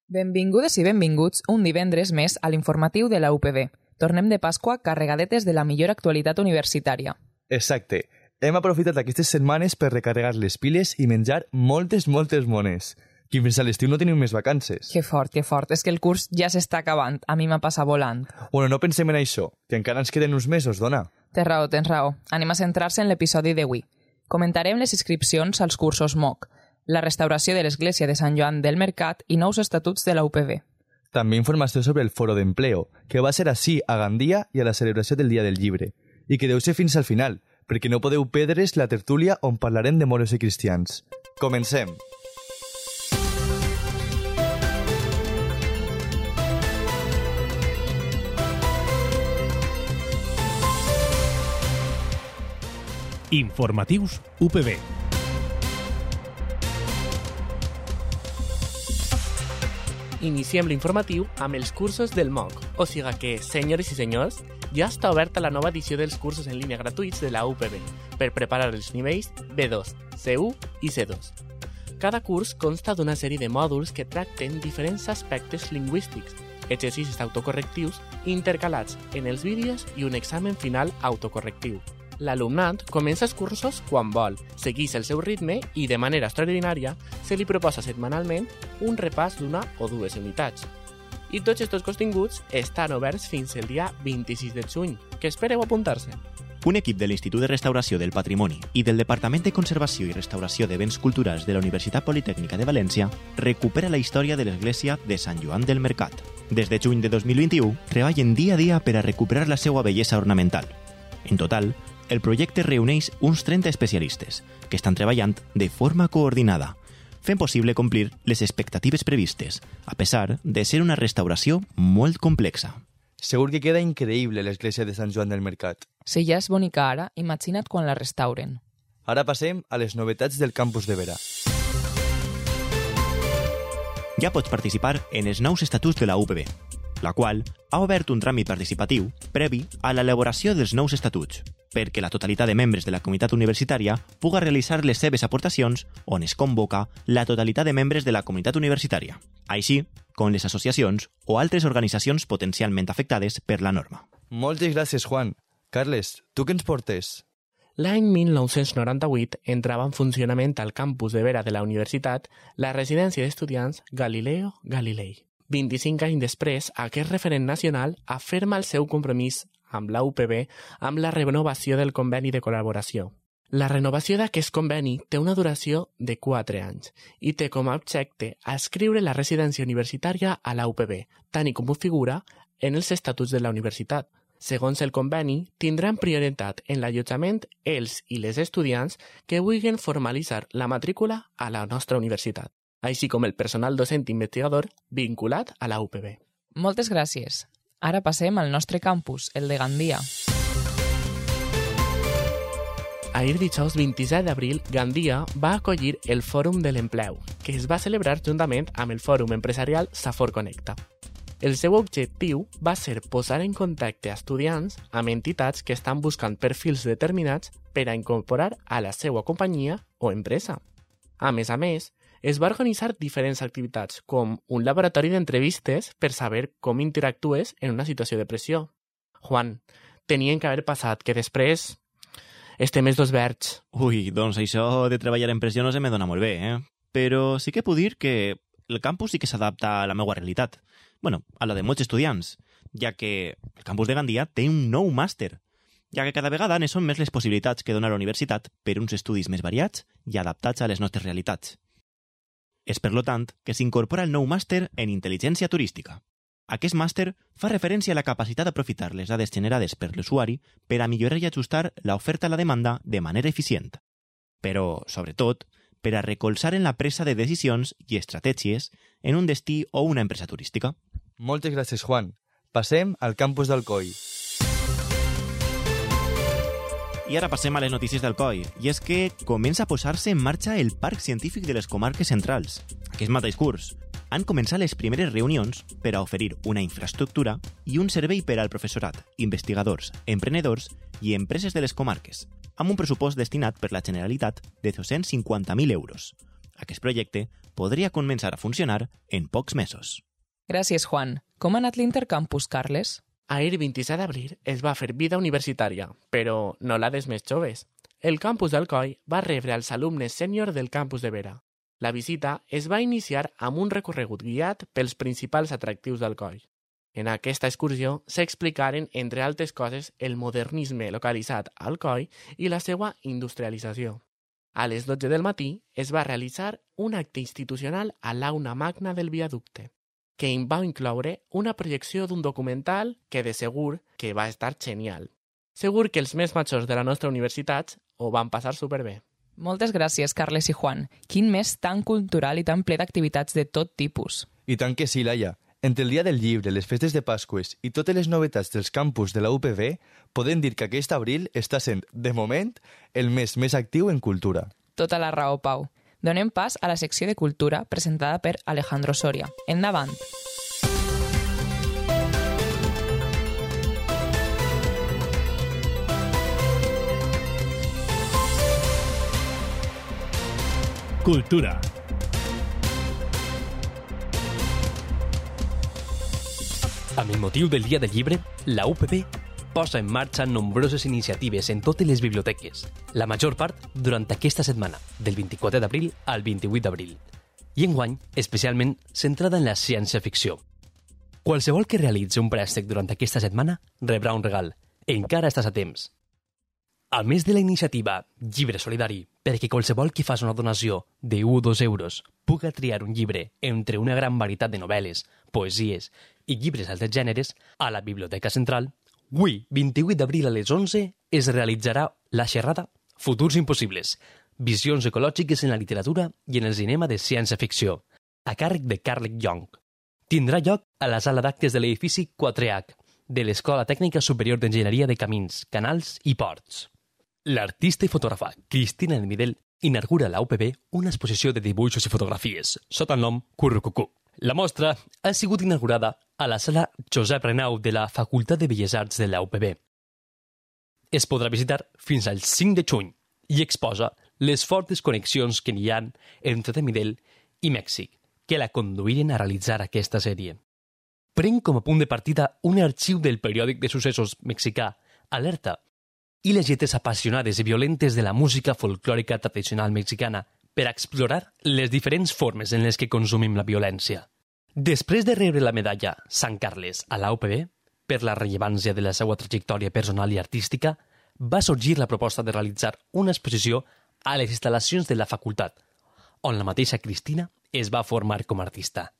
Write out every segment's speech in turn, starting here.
Benvingudes i benvinguts un divendres més a l'informatiu de la UPB. Tornem de Pasqua carregadetes de la millor actualitat universitària. Exacte. Hem aprofitat aquestes setmanes per recarregar les piles i menjar moltes mones. Que fins a l'estiu no tenim més vacances. Que fort. És que el curs ja s'està acabant. A mi m'ha passat volant. Bueno, no pensem en això, que encara ens queden uns mesos, dona. Tens raó. Anem a centrar-se en l'episodi d'avui. Comentarem les inscripcions als cursos MOOC, la restauració de l'església de Sant Joan del Mercat i nous estatuts de la UPB. També informació sobre el foro d'empleo, que va ser així a Gandia i a la celebració del Dia del Llibre, i que deu ser fins al final, perquè no podeu perdre's la tertúlia on parlarem de moros i cristians. Comencem! Informatius UPB. Iniciem l'informatiu amb els cursos del MOOC, o sigui que, senyores i senyors, ja està oberta la nova edició dels cursos en línia gratuïts de la UPB per preparar els nivells B2, C1 i C2. Cada curs consta d'una sèrie de mòduls que tracten diferents aspectes lingüístics, exercicis autocorrectius intercalats en els vídeos i un examen final autocorrectiu. L'alumnat comença els cursos quan vol, segueix el seu ritme i, de manera extraordinària, se li proposa setmanalment un repàs d'una o dues unitats. I tots aquests continguts estan oberts fins el dia 26 de juny, que espereu apuntar-se. Un equip de l'Institut de Restauració del Patrimoni i del Departament de Conservació i Restauració de Béns Culturals de la Universitat Politècnica de València recupera la història de l'església de Sant Joan del Mercat. Des de juny de 2021, treballen dia a dia per a recuperar la seva bellesa ornamental. En total, el projecte reuneix uns 30 especialistes que estan treballant de forma coordinada, fent possible complir les expectatives previstes, a pesar de ser una restauració molt complexa. Segur que queda increïble l'església de Sant Joan del Mercat. Si ja és bonica ara, imagina't quan la restauren. Ara passem a les novetats del campus de Vera. Ja pots participar en els nous estatuts de la UPB, la qual ha obert un tràmit participatiu previ a l'elaboració dels nous estatuts, perquè la totalitat de membres de la comunitat universitària puga realitzar les seves aportacions on es convoca la totalitat de membres de la comunitat universitària, així com les associacions o altres organitzacions potencialment afectades per la norma. Moltes gràcies, Juan. Carles, tu què ens portes? L'any 1998 entrava en funcionament al campus de Vera de la universitat la residència d'estudiants Galileo Galilei. 25 anys després, aquest referent nacional aferma el seu compromís amb la UPB amb la renovació del conveni de col·laboració. La renovació d'aquest conveni té una duració de 4 anys i té com a objecte adscriure la residència universitària a la UPB, tant com ho figura en els estatuts de la universitat. Segons el conveni, tindran prioritat en l'allotjament els i les estudiants que vulguin formalitzar la matrícula a la nostra universitat, així com el personal docent investigador vinculat a la UPB. Moltes gràcies. Ara passem al nostre campus, el de Gandia. Ahir dijous 27 d'abril, Gandia va acollir el Fòrum de l'Empleu, que es va celebrar juntament amb el Fòrum Empresarial Safor Connecta. El seu objectiu va ser posar en contacte a estudiants amb entitats que estan buscant perfils determinats per a incorporar a la seva companyia o empresa. A més, es va organitzar diferents activitats, com un laboratori d'entrevistes per saber com interactues en una situació de pressió. Juan, tenien que haver passat que després estem els dos verds. Ui, doncs això de treballar en pressió no se me dona molt bé, Però sí que puc dir que el campus sí que s'adapta a la meva realitat. Bueno, a la de molts estudiants, ja que el campus de Gandia té un nou màster, ja que cada vegada ne són més les possibilitats que dona la universitat per uns estudis més variats i adaptats a les nostres realitats. És, per tant, que s'incorpora el nou màster en intel·ligència turística. Aquest màster fa referència a la capacitat d'aprofitar les dades generades per l'usuari per a millorar i ajustar l'oferta a la demanda de manera eficient. Però, sobretot, per a recolzar en la presa de decisions i estratègies en un destí o una empresa turística. Moltes gràcies, Juan. Passem al campus d'Alcoi. I ara passem a les notícies d'Alcoi, i és que comença a posar-se en marxa el Parc Científic de les Comarques Centrals. Aquest mateix curs han començat les primeres reunions per a oferir una infraestructura i un servei per al professorat, investigadors, emprenedors i empreses de les comarques, amb un pressupost destinat per la Generalitat de 250.000 euros. Aquest projecte podria començar a funcionar en pocs mesos. Gràcies, Juan. Com ha anat l'intercampus, Carles? Ahir 27 d'abril es va fer vida universitària, però no la dels més joves. El campus d'Alcoi va rebre els alumnes sènior del campus de Vera. La visita es va iniciar amb un recorregut guiat pels principals atractius d'Alcoi. En aquesta excursió s'explicaren, entre altres coses, el modernisme localitzat a Alcoi i la seva industrialització. A les 12 del matí es va realitzar un acte institucional a l'aula magna del viaducte, que va incloure una projecció d'un documental que de segur que va estar genial. Segur que els més majors de la nostra universitat ho van passar superbé. Moltes gràcies, Carles i Juan. Quin mes tan cultural i tan ple d'activitats de tot tipus. I tant que sí, Laia. Entre el Dia del Llibre, les festes de Pasqües i totes les novetats dels campus de la UPB, podem dir que aquest abril està sent, de moment, el mes més actiu en cultura. Tota la raó, Pau. Donem pas a la secció de cultura presentada per Alejandro Soria. Endavant. Cultura. Amb el motiu del Dia del Llibre, la UPB posa en marxa nombroses iniciatives en totes les biblioteques, la major part durant aquesta setmana, del 24 d'abril al 28 d'abril, i enguany especialment centrada en la ciència-ficció. Qualsevol que realitzi un préstec durant aquesta setmana rebrà un regal. Encara estàs a temps. A més de la iniciativa Llibre Solidari, perquè qualsevol que faci una donació de 1 o 2 euros puga triar un llibre entre una gran varietat de novel·les, poesies i llibres d'altres gèneres, a la Biblioteca Central, avui, 28 d'abril a les 11, es realitzarà la xerrada Futurs impossibles, visions ecològiques en la literatura i en el cinema de ciència-ficció, a càrrec de Carlec Young. Tindrà lloc a la sala d'actes de l'edifici 4H de l'Escola Tècnica Superior d'Enginyeria de Camins, Canals i Ports. L'artista i fotògrafa Cristina Almidel inaugura a la UPB una exposició de dibuixos i fotografies, sota el nom Currucucú. La mostra ha sigut inaugurada a la sala Josep Renau de la Facultat de Belles Arts de la UPB. Es podrà visitar fins al 5 de juny i exposa les fortes connexions que hi ha entre Almidel i Mèxic, que la conduïren a realitzar aquesta sèrie. Pren com a punt de partida un arxiu del periòdic de successos mexicà, Alerta, i les lletres apassionades i violentes de la música folclòrica tradicional mexicana per explorar les diferents formes en les que consumim la violència. Després de rebre la medalla Sant Carles a la UPB, per la rellevància de la seva trajectòria personal i artística, va sorgir la proposta de realitzar una exposició a les instal·lacions de la facultat, on la mateixa Cristina es va formar com a artista.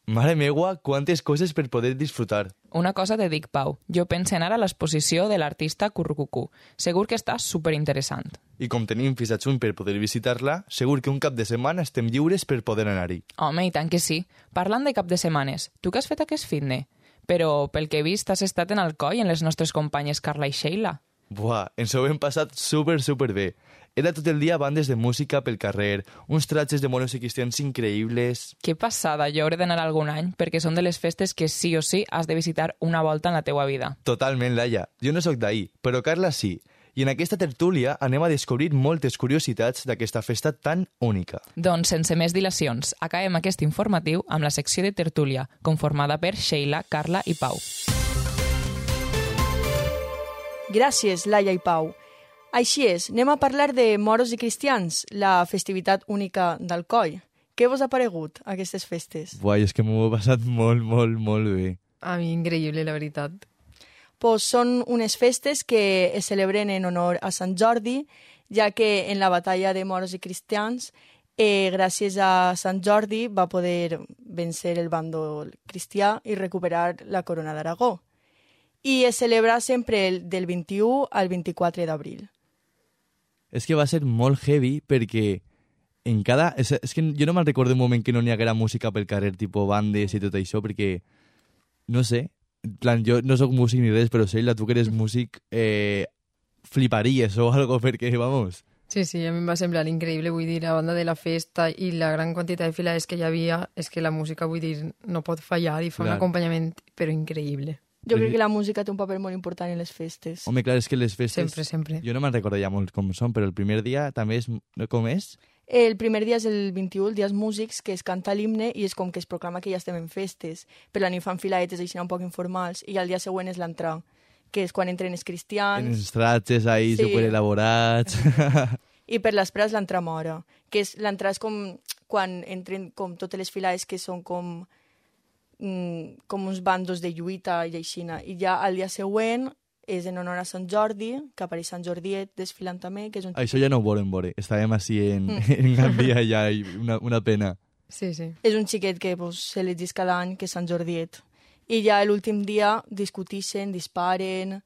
Mare meua, quantes coses per poder disfrutar. Una cosa te dic, Pau. Jo penso anar a l'exposició de l'artista Currucucú. Segur que està superinteressant. I com tenim fins a juny per poder visitar-la, segur que un cap de setmana estem lliures per poder anar-hi. Home, i tant que sí. Parlant de cap de setmanes, tu què has fet aquest fitne? Però, pel que he vist, has estat en Alcoi amb les nostres companyes Carla i Sheila. Buah, ens ho hem passat super bé. Era tot el dia bandes de música pel carrer, uns tratges de monos i cristians increïbles... Que passada, jo hauré d'anar algun any, perquè són de les festes que sí o sí has de visitar una volta en la teua vida. Totalment, Laia. Jo no sóc d'ahir, però Carla sí. I en aquesta tertúlia anem a descobrir moltes curiositats d'aquesta festa tan única. Doncs, sense més dilacions, acabem aquest informatiu amb la secció de tertúlia, conformada per Sheila, Carla i Pau. Gràcies, Laia i Pau. Així és, anem a parlar de moros i cristians, la festivitat única d'Alcoi. Què vos ha paregut, aquestes festes? Buah, és que m'ho he passat molt bé. A mi increïble, la veritat. Pues són unes festes que es celebren en honor a Sant Jordi, ja que en la batalla de moros i cristians, gràcies a Sant Jordi, va poder vencer el bàndol cristià i recuperar la corona d'Aragó. I es celebra sempre del 21 al 24 d'abril. És que va ser molt heavy perquè en cada... És que jo no me'n recordo un moment que no n'hi haguera música pel carrer, tipus bandes i tot això, perquè, no sé, en plan, jo no sóc músic ni res, però Sheila, tu que eres músic, fliparies o algo, perquè, vamos... Sí, a mi em va semblar increïble, vull dir, a banda de la festa i la gran quantitat de filades que hi havia, és que la música, vull dir, no pot fallar i fa un acompanyament, però increïble. Jo crec que la música té un paper molt important en les festes. Home, clar, és que les festes... Sempre. Jo no me'n recordo ja molt com són, però el primer dia també és... Com és? El primer dia és el 21, el dia dels músics, que es canta l'himne i és com que es proclama que ja estem en festes. Per la nit fan filaetes així un poc informals i el dia següent és l'entrada, que és quan entren els cristians. En els tratges ahí, Sí. super elaborats. I per l'espera és l'entrada mora, que és l'entrada és com quan entren com totes les filaes que són com uns bandos de lluita i aixina. I ja el dia següent és en honor a Sant Jordi, que apareix Sant Jordiet desfilant també, que és un... Això ja no ho volem veure. Estàvem així en Gandia ja i una pena. Sí. És un xiquet que pues, s'elegís cada any, que és Sant Jordiet. I ja l'últim dia discutixen, disparen,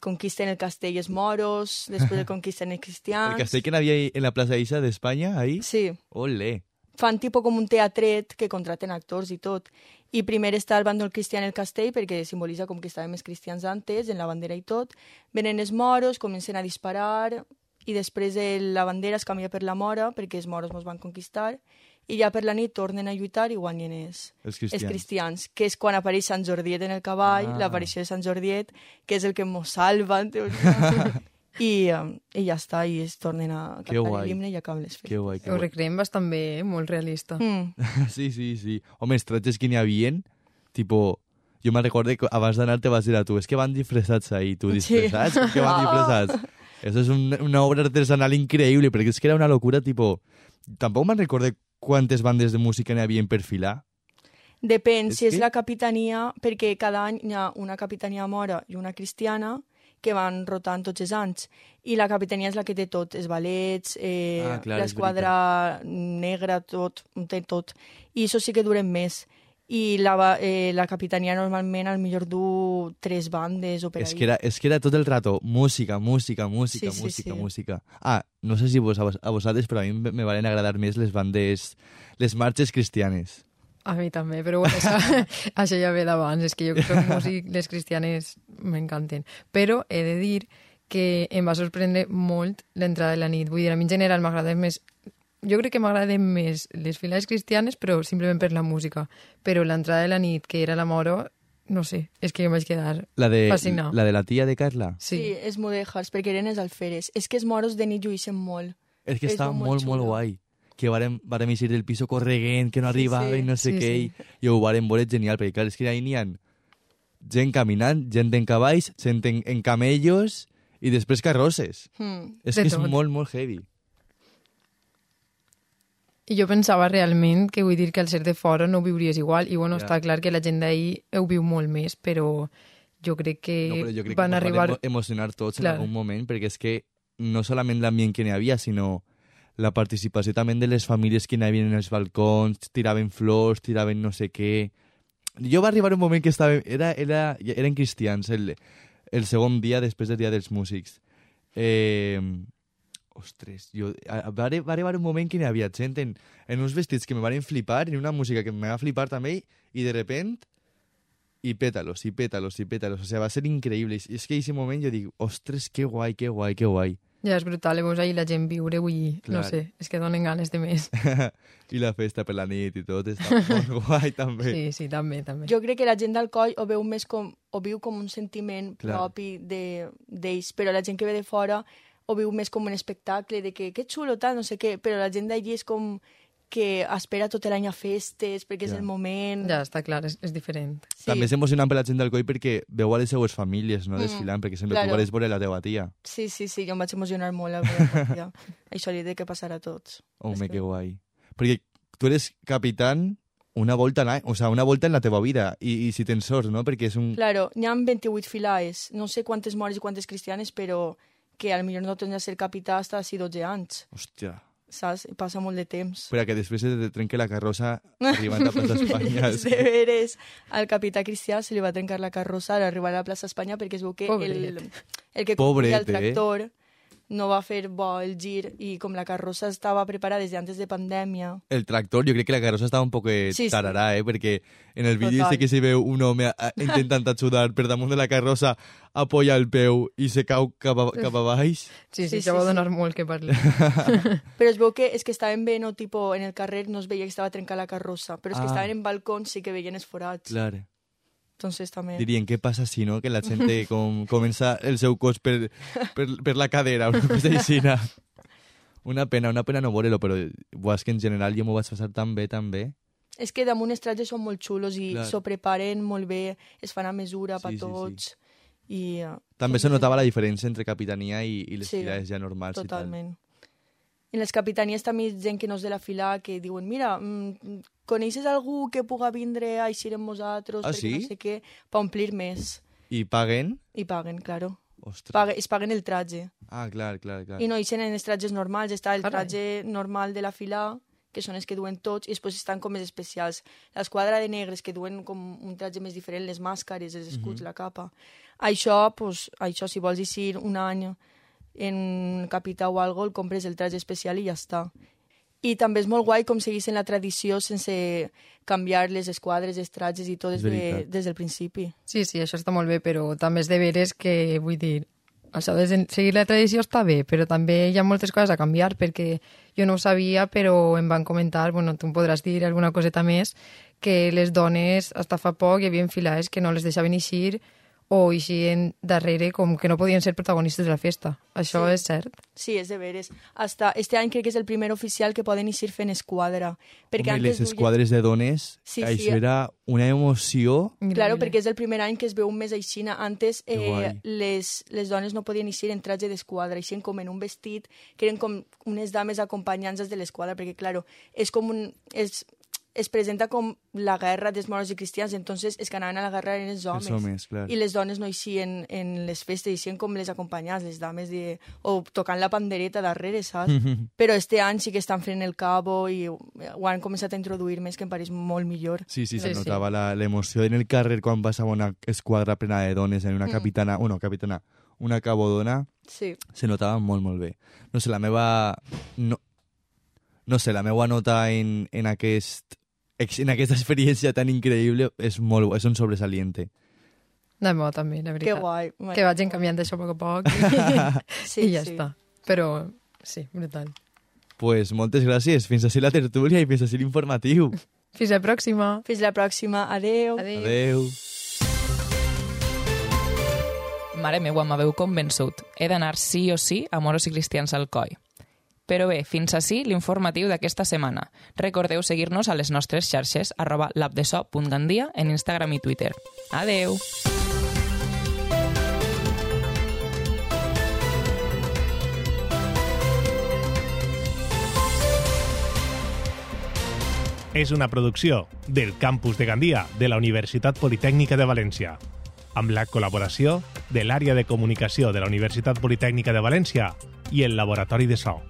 conquisten el castell els moros, després el conquisten els cristians... El castell que n'havia en la plaça Isa d'Espanya, ahí? Sí. Olé. Fan tipus com un teatret que contraten actors i tot. I primer està el bàndol cristià en el castell perquè simbolitza com que estàvem els cristians antes, en la bandera i tot. Venen els moros, comencen a disparar i després la bandera es canvia per la mora perquè els moros ens van conquistar i ja per la nit tornen a lluitar i guanyen els cristians, que és quan apareix Sant Jordiet en el cavall, l'aparició de Sant Jordiet, que és el que ens salva, en teoria. I ja està, i es tornen a cantar l'himne i acaben les festes. Que guai, que Ho guai. recreem bastant bé, molt realista. Sí. Home, els tratges que n'hi havien, tipo... Jo me'n recordo que abans d'anar te vas dir a tu, és que van disfressats ahí, tu disfressats? Sí. Que van disfressats? Eso es una obra artesanal increïble, perquè és que era una locura, tipo... Tampoc me'n recordo quantes bandes de música n'hi havien per filar. Depèn, si és la capitania, perquè cada any hi ha una capitania mora i una cristiana, que van rotant tots els anys. I la capitania és la que té tot, els ballets, l'esquadra negra, tot, té tot. I això sí que duren més. I la capitania normalment al millor du 3 bandes o per ahí. És que era tot el rato música. Sí. Ah, no sé si a vosaltres, però a mi me valen agradar més les bandes, les marxes cristianes. A mi també, però bueno, això ja ve d'abans. És que jo que soc músic, les cristianes m'encanten. Però he de dir que em va sorprendre molt l'entrada de la nit. Vull dir, a mi en general m'agrada més... Jo crec que m'agraden més les filades cristianes, però simplement per la música. Però l'entrada de la nit, que era la moro, no sé, és que em vaig quedar fascinada. La de la tia de Carla? Sí, els mudèjars, perquè eren els alferes. És que els moros de nit lluïxen molt. És que estava molt guai. Que vàrem eixir del piso correguent, que no arribava i no sé què, i ho vàrem veure genial, perquè clar, és que ahí n'hi ha gent caminant, gent en cavalls, gent en camellos i després carrosses. És que és molt heavy. I jo pensava realment que vull dir que al ser de fora no ho viuries igual, i bueno, està clar que la gent d'ahir ho viu molt més, però jo crec que van arribar... Van emocionar tots en algun moment, perquè és que no solament l'ambient que n'hi havia, sinó la participació també de les famílies que n'hi havia en els balcons, tiraven flors, tiraven no sé què... Jo va arribar un moment que eren cristians, el segon dia després del dia dels músics. Ostres, va arribar un moment que n'hi havia gent en uns vestits que me van flipar, en una música que me va flipar també, i de repent, i pétalos. O sigui, va ser increïble. I és que en aquest moment jo dic, ostres, que guai. Ja, és brutal, veus ahir la gent viure, vull dir, no sé, és que donen ganes de més. I la festa per la nit i tot, està molt guai també. Sí, també. Jo crec que la gent d'Alcoi ho veu més ho viu com un sentiment propi d'ells, però la gent que ve de fora ho viu més com un espectacle de que xulo, tal, no sé què, però la gent d'allí és com que espera tot l'any a festes perquè és el moment... Ja, està clar, és diferent. Sí. També és emocionant per la gent d'Alcoi perquè veu a les seues famílies, no, desfilant, perquè sempre tu vas veure la teva tia. Sí, jo em vaig emocionar molt a veure la tia. Això li he de que passar a tots. Home, que guai. Perquè tu eres capitán una volta en la teva vida, i si tens sort, no? Perquè és un... Claro, n'hi ha 28 filaes, no sé quantes mores i quantes cristianes, però que potser no tens de ser capità hasta si 12 anys. Hòstia... Saps? Passa molt de temps. Però que després se te trenque la carrossa arribant a Plaça Espanya. De veres, al capità Cristià se li va trencar la carrossa al arribar a la Plaça Espanya perquè es veu que el que conduïa el tractor no va fer bo el gir i com la carrossa estava preparada des d'antes de pandèmia. El tractor, jo crec que la carrossa estava un poc tararà, perquè en el vídeo sé que se veu un home intentant ajudar per damunt de la carrossa, apoya el peu i se cau cap a baix. Sí, això va donar molt que parlar. Però es veu que és que estaven bé, no, tipo, en el carrer no es veia que estava trencada la carrossa, però és que estaven en balcons sí que veien els forats. Clar. Entonces també... Dirien, què passa si no? Que la gent comença el seu cos per la cadera, una cosa així. Una pena no veure-lo, però és que en general jo m'ho vaig passar tan bé. És que damunt els trajes són molt xulos i Clar. s'ho preparen molt bé, es fan a mesura per Sí, sí, tots. I, També se notava la diferència entre capitania i les Sí, filades ja normals totalment. En les capitanies també hi ha gent que no és de la fila que diuen, mira, coneixes algú que puga vindre a eixir amb nosaltres? Ah, perquè sí? No sé què, per omplir més. i tal. I paguen? I paguen, claro. Ostres. Es paguen el traje. Ah, clar. I no eixen en els trajes normals, està el Carai. traje normal de la fila, que són els que duen tots, i després estan com més especials. L'esquadra de negres, que duen com un traje més diferent, les màscares, els escuts, la capa. Això, si vols eixir un any en capità o algo, el compres el traje especial i ja està. I també és molt guai com seguissin la tradició sense canviar les esquadres, els trajes i tot És veritat. des del principi. Sí, això està molt bé, però també és de veres que, vull dir, això de seguir la tradició està bé, però també hi ha moltes coses a canviar, perquè jo no ho sabia, però em van comentar, bueno, tu em podràs dir alguna coseta més, que les dones, hasta fa poc, hi havia filades que no les deixaven eixir o eixien darrere com que no podien ser protagonistes de la festa. Això Sí. és cert? Sí, és de veres. Hasta este any crec que és el primer oficial que poden eixir fent esquadra. Perquè Home, les duien- esquadres de dones, Sí, això sí. era una emoció. Claro, Increïble. perquè és el primer any que es veu més aixina. Antes Que guai. les dones no podien eixir en traje d'esquadra, eixien com en un vestit, que eren com unes dames acompanyants de l'esquadra, perquè, claro, és com es presenta com la guerra dels moros i cristians, entonces els que anaven a la guerra eren els homes. Els homes, clar. I les dones no eixien en les festes, eixien com les acompanyants, les dames, o tocant la pandereta darrere, saps? Però este any sí que estan fent el cabo i ho han començat a introduir més, que em pareix molt millor. Sí, se Sí, notava l'emoció en el carrer quan passava una esquadra plena de dones en una capitana, una cabodona, Sí. se notava molt bé. No sé, la meva nota en aquesta experiència tan increïble és un sobresaliente. De bo, també, la Que veritat. guai. Que vagin canviant d'això a poc a poc Sí, i ja sí. està. Però, sí, brutal. Pues moltes gràcies. Fins així la tertúlia i fins així l'informatiu. Fins la pròxima. Fins la pròxima. Adeu. Adéu. Adeu. Mare meua, m'haveu convençut. He d'anar sí o sí a Moros i Cristians al Coi. Però bé, fins ací l'informatiu d'aquesta setmana. Recordeu seguir-nos a les nostres xarxes @labdeso.gandia en Instagram i Twitter. Adeu! És una producció del Campus de Gandia de la Universitat Politècnica de València, amb la col·laboració de l'Àrea de Comunicació de la Universitat Politècnica de València i el Laboratori de So.